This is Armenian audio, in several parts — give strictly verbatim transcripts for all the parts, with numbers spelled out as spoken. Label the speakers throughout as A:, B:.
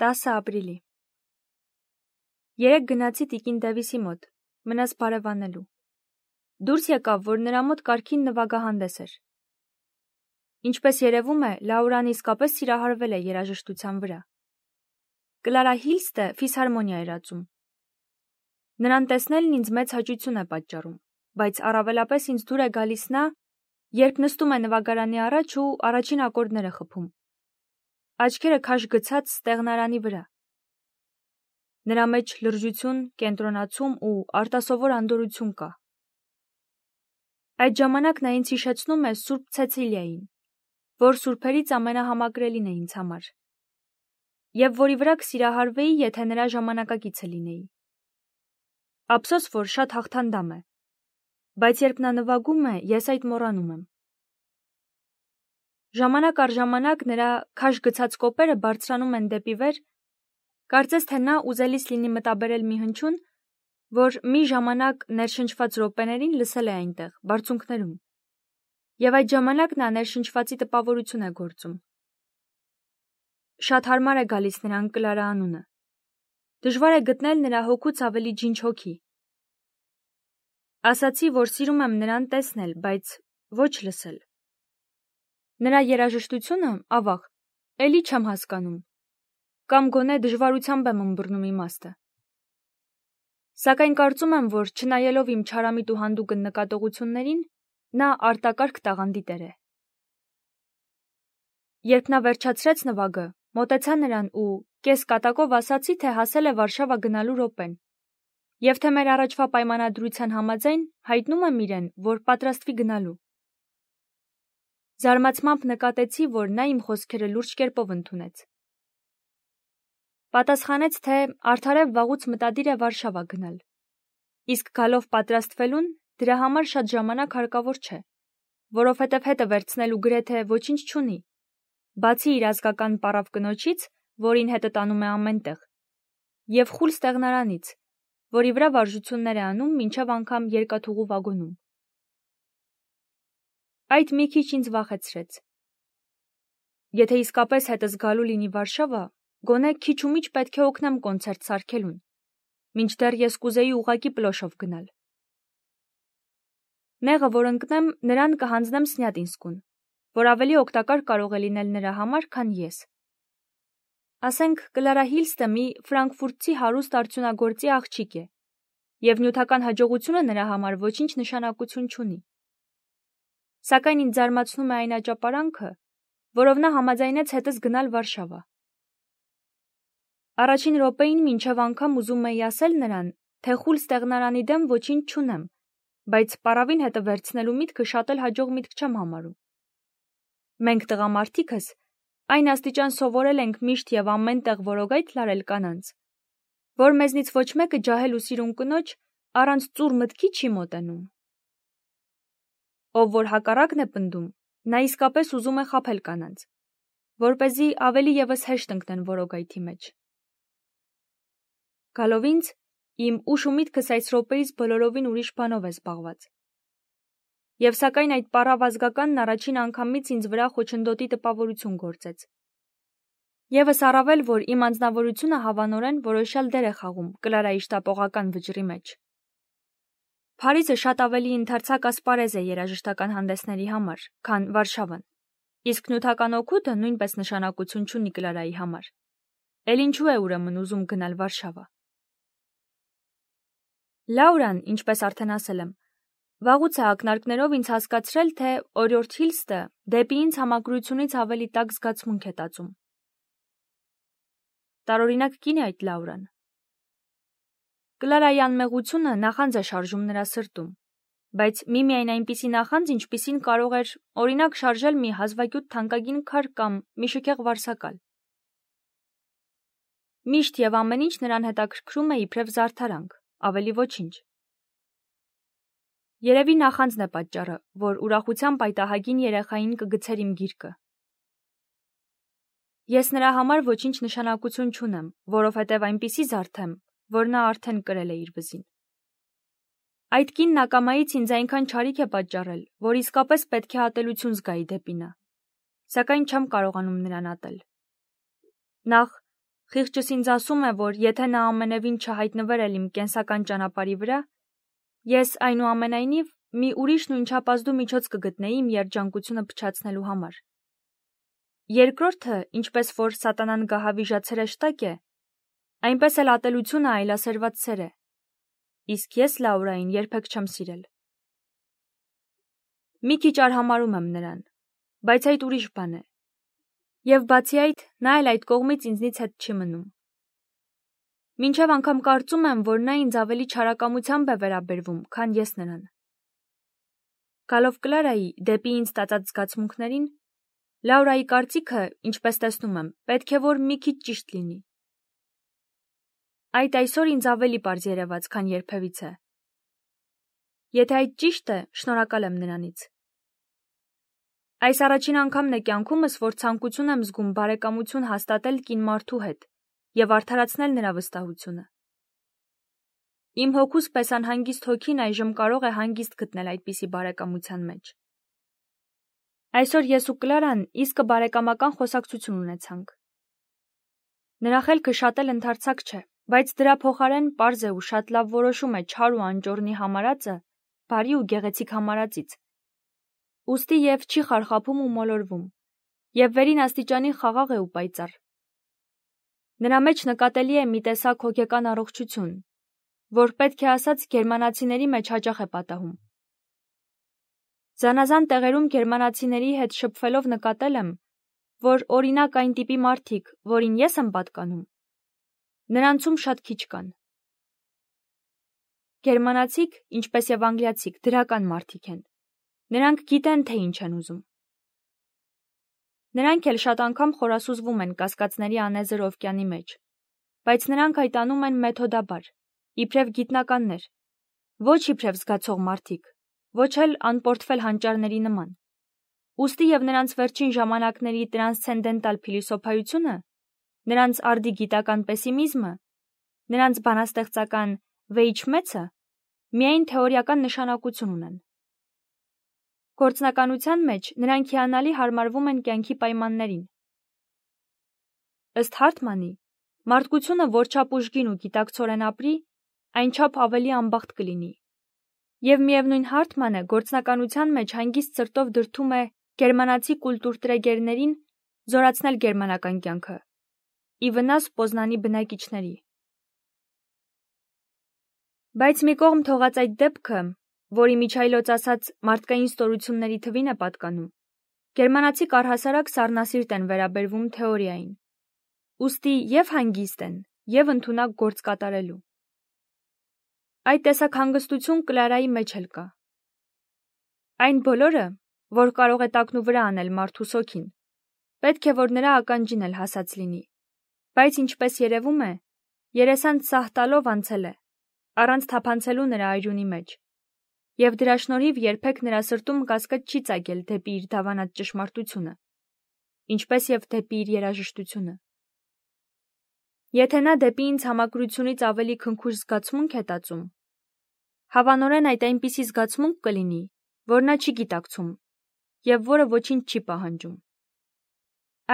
A: տասը ապրիլի։ Երեկ գնացի տիկին Դևիսի մոտ, մնաց բարևանելու։ Դուրս եկավ, որ նրա մոտ կարգին նվագահանդես էր։ Ինչպես երևում է, Լաուրան իսկապես սիրահարվել է երաժշտության վրա։ Կլարա Հիլստը ֆիսհարմոնիա էր ածում։ Նրան տեսնելն ինձ մեծ հաճույքություն է պատճառում, բայց առավելապես ինձ դուր է գալիս նա, երբ նստում է նվագարանի առաջ ու առաջին ակորդները խփում։ Աչքերը քաշ գցած ստեղնարանի վրա։ Նրա մեջ լրջություն, կենտրոնացում ու արտասովոր անդորրություն կա։ Այդ ժամանակ նա ինձ հիշեցնում է Սուրբ Ցեցիլիային, որ սուրբերից ամենահամակրելին է ինձ համար, և որի վրա կսիրահարվեի, եթե նրա ժամանակակիցը լինեի։ Ափսոս, որ շատ հաղթանդամ է, բայց երբ նա նվագում է, ես այդ մոռանում եմ։ Ժամանակ առ ժամանակ նրա քաշ գցած կոպերը բարձրանում են դեպի վեր, կարծես թե նա ուզելիս լինի մտաբերել մի հնչյուն, որ մի ժամանակ ներշնչված րոպեներին լսել է այնտեղ, բարձունքներում, և այդ ժամանակ նա ներշնչվածի տպավորություն է գործում։ Շատ հարմար է գալիս նրան Կլարա անունը։ Դժվար է գտնել նրա հոգուց ավելի ջինջ հոգի։ Ասացի, որ սիրում եմ նրան տեսնել, բայց ոչ լսել։ Նրա երաժշտությունը, ավաղ, էլի չեմ հասկանում, կամ գոնե դժվարությամբ եմ ըմբռնում իմաստը։ Սակայն կարծում եմ, որ չնայելով իմ չարամիտ ու հանդուգն նկատողություններին, նա արտակարգ տաղանդի տեր է։ Երբ նա վերջացրեց նվագը, մոտեցա նրան ու կես կատակով ասացի, թե հասել է Վարշավա գնալու րոպեն, և թե մեր առաջվա պայմանադրության համաձայն հայտնում եմ իրեն, որ պատրաստվի գնալու։ Զարմացմամբ նկատեցի, որ նա իմ խոսքերը լուրջ կերպով ընդունեց։ Պատասխանեց, թե արդարև վաղուց մտադիր է Վարշավա գնալ, իսկ գալով պատրաստվելուն դրա համար շատ ժամանակ հարկավոր չէ, որովհետև հետը վերցնելու գրեթե ոչինչ չունի, բացի իր ազգական պառավ կնոջից, որին հետը տանում է ամենտեղ, և խուլ ստեղնարանից, որի վրա վարժություններ է անում մինչև անգամ երկաթուղու վագոնում։ Այդ մի քիչ ինձ վախեցրեց։ Եթե իսկապես հետս գալու լինի Վարշավա, գոնե քիչ ու միջ պետք է օգնեմ կոնցերտ սարքելուն, մինչդեռ ես կուզեի ուղղակի պլոշով գնալ։ Նեղը, որ ընկնեմ, նրան կհանձնեմ Սնյատինսկուն, որ ավելի օգտակար կարող է լինել նրա համար, քան ես։ Ասենք, Կլարա Հիլստը մի ֆրանկֆուրտցի հարուստ արդյունագործի աղջիկ է, և նյութական հաջողությունը նրա համար ոչինչ նշանակություն չունի։ Սակայն ինձ զարմացնում է այն աճապարանքը, որով նա համաձայնեց հետս գնալ Վարշավա։ Առաջին րոպեին մինչև անգամ ուզում էի ասել նրան, թե խուլ ստեղնարանի դեմ ոչինչ չունեմ, բայց պառավին հետը վերցնելու միտքը շատ էլ հաջող միտք չեմ համարում։ Մենք տղամարդիկս այն աստիճան սովորել ենք միշտ և ամեն տեղ որոգայթ լարել կանանց, որ մեզնից ոչ մեկը ջահել ու սիրուն կնոջ առանց ծուռ մտքի չի մոտենում։ Ով որ հակառակն է պնդում, նա իսկապես ուզում է խաբել կանանց, որպեսզի ավելի ևս հեշտ ընկնեն որոգայթի մեջ։ Գալով ինձ, իմ ուշ ու միտքս այս րոպեից բոլորովին ուրիշ բանով է զբաղված։ Եվ սակայն այդ պառավ ազգականն առաջին անգամից ինձ վրա խոչընդոտի տպավորություն գործեց։ Եվս առավել, որ իմ անձնավորությունը հավանորեն որոշյալ դեր է խաղում Կլարայի շտապողական վճռի մեջ։ Փարիզը շատ ավելի ընդարձակ ասպարեզ է երաժշտական հանդեսների համար, քան Վարշավան, իսկ նյութական օգուտը նույնպես նշանակություն չունի Կլարայի համար։ Էլ ինչու է ուրեմն ուզում գնալ Վարշավա։ Լաուրան, ինչպես արդեն ասել եմ, վաղուց է ակնարկներով ինձ հասկացրել, թե օրիորդ Հիլստը դեպի ինձ համակրությունից ավելի տաք զգացմունք է տածում։ Տարօրինակ կին է այդ Լաուրան։ Կլարայի անմեղությունը նախանձ է շարժում նրա սրտում, բայց միմիայն այնպիսի նախանձ, ինչպիսին կարող էր օրինակ շարժել մի հազվագյուտ թանկագին քար կամ մի շքեղ վարսակալ։ Միշտ և ամեն ինչ նրան հետաքրքրում է իբրև զարդարանք, ավելի ոչինչ։ Երևի նախանձն է պատճառը, որ ուրախությամբ այդ ահագին երեխային կգցեր իմ գիրկը։ Ես նրա համար ոչինչ նշանակություն չունեմ, որովհետև այնպիսի զարդ եմ, որ նա արդեն կրել է իր վզին։ Այդ կինն ակամայից ինձ այնքան չարիք է պատճառել, որ իսկապես պետք է ատելություն զգայի դեպի նա, սակայն չեմ կարողանում նրան ատել։ Նախ, խիղճս ինձ ասում է, որ եթե նա ամենևին չհայտնվեր էլ իմ կենսական ճանապարհի վրա, ես այնուամենայնիվ մի ուրիշ նույնչափազդու միջոց կգտնեի իմ երջանկությունը փչացնելու համար։ Երկրորդը, ինչպես որ սատանան գահավիժացրե շտակ է, այնպես էլ ատելությունը այլասերված սեր է, իսկ ես Լաուրային երբեք չեմ սիրել։ Մի քիչ արհամարհում եմ նրան, բայց այդ ուրիշ բան է։ Եվ բացի այդ, նա էլ այդ կողմից ինձնից հետ չի մնում։ Մինչև անգամ կարծում եմ, որ նա ինձ ավելի չարակամությամբ է վերաբերվում, քան ես նրան։ Գալով Կլարայի դեպի ինձ տածած զգացմունքներին, Լաուրայի կարծիքը, ինչպես տեսնում եմ, պետք է որ մի քիչ ճիշտ լինի։ Այդ այսօր ինձ ավելի պարզ երևաց, քան երբևիցե։ Եթե այդ ճիշտ է, շնորհակալ եմ նրանից։ Այս առաջին անգամն է կյանքումս, որ ցանկություն եմ զգում բարեկամություն հաստատել կին մարդու հետ և արդարացնել նրա վստահությունը։ Իմ հոգուս պես անհանգիստ հոգին այժմ կարող է հանգիստ գտնել այդպիսի բարեկամության մեջ։ Այսօր ես ու Կլարան իսկը բարեկամական խոսակցություն ունեցանք։ Նրա խելքը շատ էլ ընդարձակ չէ, բայց դրա փոխարեն պարզ է ու շատ լավ որոշում է չար ու անճոռնի համարածը բարի ու գեղեցիկ համարածից։ Ուստի և չի խարխափում ու մոլորվում, և վերին աստիճանի խաղաղ է ու պայծառ։ Նրա մեջ նկատելի է մի տեսակ հոգեկան առողջություն, որ պետք է ասած գերմանացիների մեջ հաճախ է պատահում։ Զանազան տեղերում գերմանացիների հետ շփվելով նկատել եմ, որ օրինակ այն տիպի մարդիկ, որին ես եմ պատկանում, նրանցում շատ քիչ կան։ Գերմանացիք, ինչպես և անգլիացիք, դրական մարդիկ են։ Նրանք գիտեն, թե ինչ են ուզում։ Նրանք էլ շատ անգամ խորասուզվում են կասկածների անեզր օվկիանի մեջ, բայց նրանք այդ անում են մեթոդաբար, իբրև գիտնականներ, ոչ իբրև զգացող մարդիկ, ոչ էլ անպորտֆել հանճարների նման։ Ուստի և նրանց վերջին ժամանակների տրանսցենդենտալ փիլիսոփայությունը, նրանց արդի գիտական պեսիմիզմը, նրանց բանաստեղծական վեիջմեցը միայն թեորիական նշանակություն ունեն։ Գործնականության մեջ նրանք հիանալի հարմարվում են կյանքի պայմաններին։ Ըստ Հարթմանի, մարդկությունը որչափ ուժգին ու գիտակցորեն ապրի, այնչափ ավելի անբախտ կլինի։ Եվ միևնույն Հարթմանը գործնականության մեջ հանգիստ սրտով դրդում է գերմանացի կուլտուրտրեգերներին զորացնել գերմանական կյանքը, ի վնաս Պոզնանի բնակիչների։ Բայց մի կողմ թողած այդ դեպքը, որի միջայլոց ասած մարդկային ստորությունների թվին է պատկանում, գերմանացի առհասարակ սառնասիրտ են վերաբերվում թեորիային, ուստի և հանգիստ են, և ընդունակ գործ կատարելու։ Այդ տեսակ հանգստություն Կլարայի մեջ էլ կա։ Այն բոլորը, որ կարող է տակնուվրա անել մարդու սոգին, պետք է որ նրա ականջին էլ հասած լինի, բայց ինչպես երևում է, երեսանց սահ տալով անցել է, առանց թափանցելու նրա արյունի մեջ, և դրա շնորհիվ երբեք նրա սրտում կասկած չի ծագել դեպի իր դավանած ճշմարտությունը, ինչպես և դեպի իր երաժշտությունը։ Եթե նա դեպի ինձ համակրությունից ավելի քնքուշ զգացմունք է տածում, հավանորեն այդ այնպիսի զգացմունք կլինի, որ նա չի գիտակցում և որը ոչինչ չի պահանջում։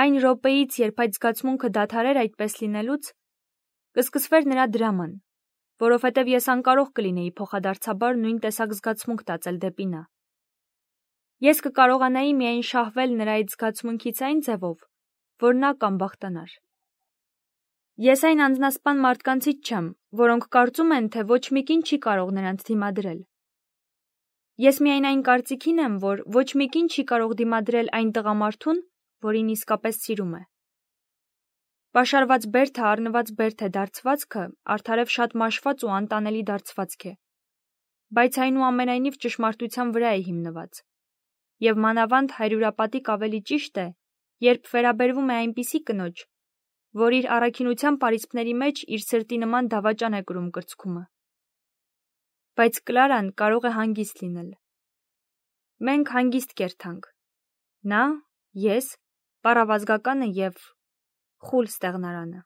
A: Այն րոպեից, երբ այդ զգացմունքը դադարեր այդպես լինելուց, կսկսվեր նրա դրաման, որովհետև ես անկարող կլինեի փոխադարձաբար նույն տեսակ զգացմունք տածել դեպի նա։ Ես կկարողանայի միայն շահվել նրա այդ զգացմունքից այն ձևով, որ նա կանբախտանար։ Ես այն անձնասպան մարդկանցից չեմ, որոնք կարծում են, թե ոչ մի կին չի կարող նրանց դիմադրել։ Ես միայն այն կարծիքին եմ, որ ոչ մի կին չի կարող դիմադրել այն տղամարդուն, որին իսկապես սիրում է։ Պաշարված բերդը առնված բերդ է դարձվածքը արդարև շատ մաշված ու անտանելի դարձվածք է, բայց այնուամենայնիվ ճշմարտության վրա է հիմնված, և մանավանդ հարյուրապատիկ ավելի ճիշտ է, երբ վերաբերվում է այնպիսի կնոջ, որ իր առաքինության պարիսպների մեջ իր սրտի նման դավաճան է կրում կրծքումը։ Բայց Կլարան կարող է հանգիստ լինել։ Մենք հանգիստ կերթանք։ Նա, ես, պարավազգականը և խուլ ստեղնարանը։